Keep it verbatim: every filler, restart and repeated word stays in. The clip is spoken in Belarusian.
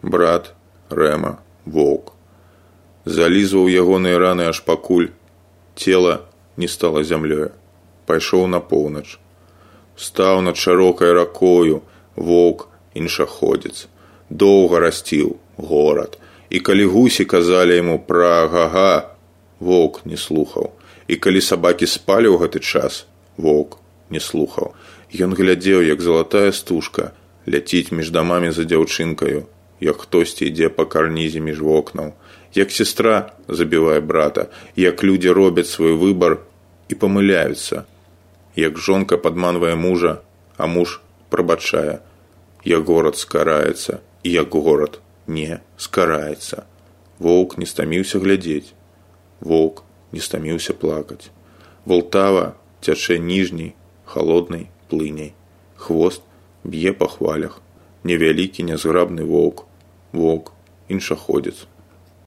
Брат Рэма, воўк, залізваў ягоныя раны аж пакуль цела не стала зямлёю. Пайшоў на поўнач. Стаў над шырокай ракою воўк іншаходзец. Доўга расціў горад. І калі гусі казалі яму пра Гага, воўк не слухаў. І калі сабакі спалі ў гэты час, воўк не слухаў. Ён глядзеў, як залатая стужка ляціць між дамамі за дзяўчынкаю, як хтосьці ідзе па карнізе між вокнаў, як сестра забівае брата, як людзі робяць свой выбар і памыляюцца, як жонка падманвае мужа, а муж прабачае, як горад скараецца і як горад не скараецца. Воўк не стаміўся глядзець, воўк не стаміўся плакаць. Волтава цячэ ніжняй, халоднай плыняй. Хвост б'е па хвалях. Невялікі нязграбны воўк, воўк іншаходзец.